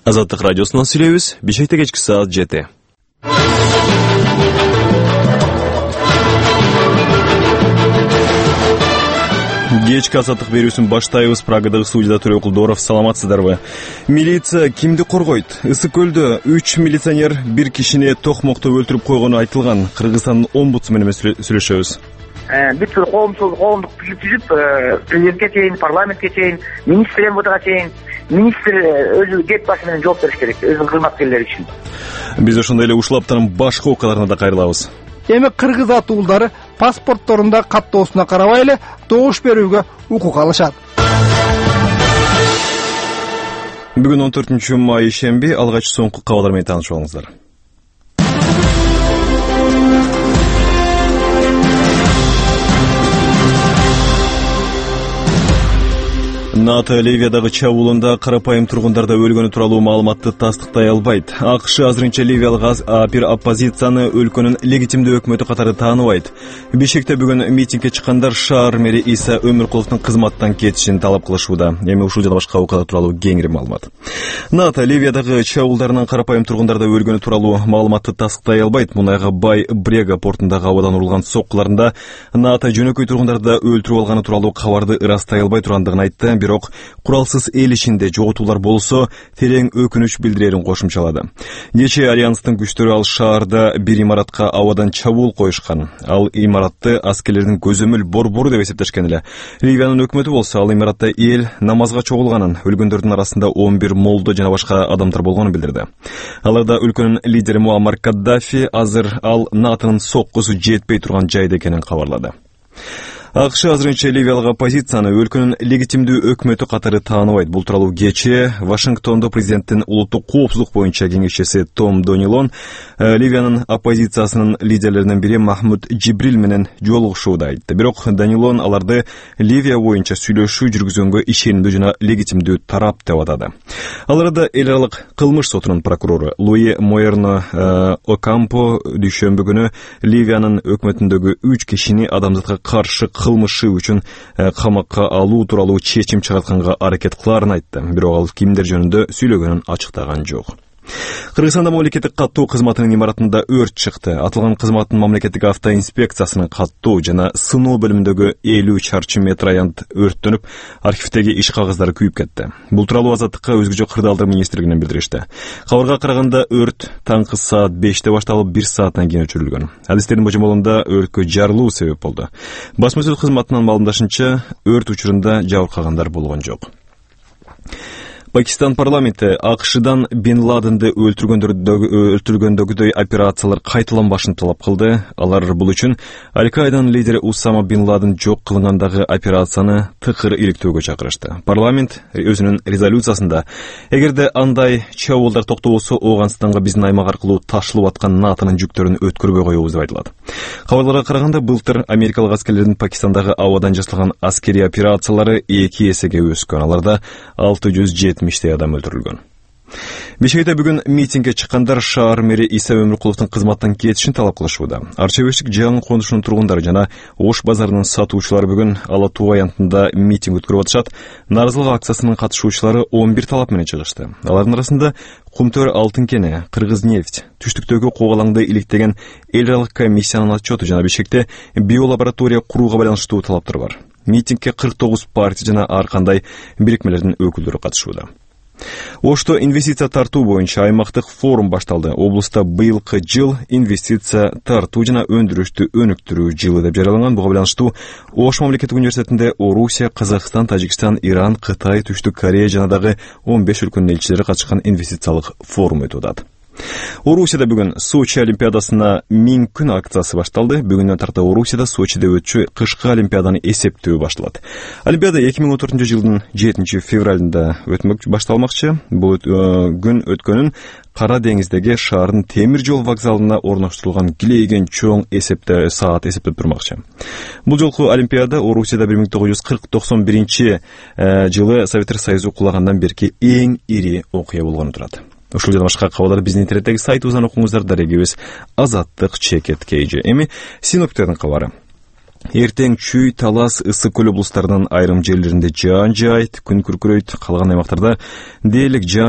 Азаттык радиосунан сүйлөйбүз. Бишкекте кечки саат 7. Кечки азаттык берүүсүн баштайбыз. Прагадагы студияда Төрө Кулдоров. Саламатсыздарбы? Милиция кимди коргойт? Ысык көлдө 3 милиционер бир кишини токмокто өлтүрүп койгону айтылган. Кыргызстандын омбудсмени менен сүйлөшөбүз. Бүт коомдук түзүп, президентке чейин, парламентке чейин, министр МВДга чейин, министр өзү кеп башы менен жооп бериш керек, өзүнүн кызматкерлери үчүн. Биз ошондой эле ушул аптанын башка окуяларына да кайрылабыз. Эми кыргыз атуулдары паспортторунда каттоосуна карабай эле добуш берүүгө укук алышат. Бүгүн 14-май шемби, алгач соңку кабарлар менен таанышып алыңыздар. НАТО Ливиядагы чабуулунда карапайым тургундарда өлгөнү тууралуу маалыматты тастыктай албайт. АКШ азырынча ливиялык оппозицияны өлкөнүн легитимдүү өкмөтү катары тааныбайт. Бишкекте бүгүн митингге чыккандар шаар мэри Иса Өмүркуловдун кызматтан кетишин талап кылышууда. Эми ушул жана башка окуялар тууралуу кеңири маалымат. НАТО Ливиядагы чабуулдарынан карапайым тургундарда өлгөнү тууралуу маалыматты тастыктай албайт. Мунайга бай Брега портундагы абадан урулган соккуларында НАТО жөнөкөй тургундарды өлтүрүп алганы тууралуу кабарды ырастай албай тургандыгын айтты. Бирок куралсыз эл ичинде жоготуулар болсо терең өкүнүч билдирерин кошумчалады. Кечээ альянстын күчтөрү ал шаарда бир имаратка абадан чабуул коюшкан. Ал имаратты аскерлердин көзөмөл борбору деп эсептешкен эле. Ливиянын өкмөтү болсо ал имаратта эл намазга чогулганын, өлгөндөрдүн арасында 11 молдо жана башка адамдар болгонун билдирди. Аларда өлкөнүн лидери Муаммар Каддафи азыр ал НАТОнун соккусу жетпей турган жайда экенин кабарлады. АКШ азырынча ливиялык оппозицияны өлкөнүн легитимдүү өкмөтү катары тааныбайт. Бул тууралуу кечээ Вашингтондо президенттин улуттук коопсуздук боюнча кеңешчиси Том Донилон Ливиянын оппозициясынын лидерлеринин бири Махмуд Джибрил менен жолугушууда айтты. Бирок Донилон аларды Ливия боюнча сүйлөшүү жүргүзгөнгө ишенимдүү жана легитимдүү тарап деп атады. Ал арада эл аралык кылмыш сотунун прокурору Луи Моерно Окампо дүйшөмбү күнү Ливиянын өкмөтүндөгү 3 кишини адамзатка каршы кылмышы үчүн камакка алуу тууралуу чечим чыгартканга аракет кылаарын айтты. Бирок ал кимдер жөнүндө сүйлөгөнүн ачыктаган жок. Кыргызстанда мамлекеттик каттоо кызматынын имаратында өрт чыкты. Атылган кызматтын мамлекеттик автоинспекциясынын каттоо жана сыноо бөлүмүндөгү 50 чарчы метр аянт өрттөнүп, архивдеги иш кагаздары күйүп кетти. Бул тууралуу Азаттыкка өзгөчө кырдаалдар министрлигинен билдиришти. Кабарга караганда өрт таңкы саат 5-те башталып 1 сааттан кийин өчүрүлгөн. Адистердин божомолунда өрткө жарылуу себеп болду. Басма-сөз кызматынын маалымдашынча, өрт учурунда жабыркагандар болгон жок. Пакистан парламенти АКШдан Бин Ладенди өлтүргөндөгүдөй операциялар кайталанбашын талап кылды. Алар бул үчүн Аль-Каиданын лидери Усама Бин Ладен жок кылынгандагы операцияны тыкыр иликтөөгө чакырышты. Парламент өзүнүн резолюциясында эгерде андай чабуулдар токтолбосо, Ооганстанга биздин аймак аркылуу ташылып аткан НАТОнун жүктөрүн өткөрбөй коебуз деп айтылат. Кабарларга караганда, былтыр америкалык аскерлердин Пакистандагы абадан жасалган аскерий операциялары 2 эсеге өскөн. Аларда 670 адам өлтүрүлгөн. Бишкекте бүгүн митингге чыккандар шаар мэри Иса Өмүркуловдун кызматтан кетишин талап кылышууда. Арчабештик жаңы конушунун тургундары жана Ош базарынын сатуучулары бүгүн Ала Туу аянтында митинг өткөрүп атышат. Нааразылык акциясынын катышуучулары 11 талап менен чыгышты. Алардын арасында Кумтөр алтын кени, Кыргыз-нефть, түштүктөгү когалаңды иликтеген эл аралык комиссиянын отчету жана Бишкекте биолаборатория курууга байланыштуу талаптар бар. Митингге 49 партия жана ар кандай бирикмелердин өкүлдөрү катышууда. Ошто инвестиция тартуу боюнча аймактык форум башталды. Облуста быйылкы жыл инвестиция тартуу жана өндүрүштү өнүктүрүү жылы деп жарыяланган. Буга байланыштуу Ош мамлекеттик университетинде Орусия, Казакстан, Тажикстан, Иран, Кытай, Түштүк Корея жана дагы 15 өлкөнүн элчилери катышкан инвестициялык форум өтүп атат. Орусияда бүгүн Сочи олимпиадасына 1000 күн акциясы башталды. Бүгүндөн тарта Орусияда Сочиде өтчү кышкы олимпиаданы эсептөө башталат. Олимпиада 2014-жылдын 7 февралында башталмакчы. Бул күн өткөнүн Кара деңиздеги шаардын темир жол вокзалына орноштурулган килейген чоң саат эсептеп турмакчы. Бул жолку олимпиада Орусияда 1940-91 жылы Советтер Союзу кулагандан берки эң ири окуя болгону турат. Ушул жана башка кабарлар биздин интернеттеги сайтыбыздан окуңуздар. Дарегибиз Азаттык _KG. Эми синоптиктердин кабары. Эртең Чүй, Талас, Ысык көл облустарынын айрым жерлеринде жаан жаайт, күн күркүрөйт, калган аймактарда дээрлик жаан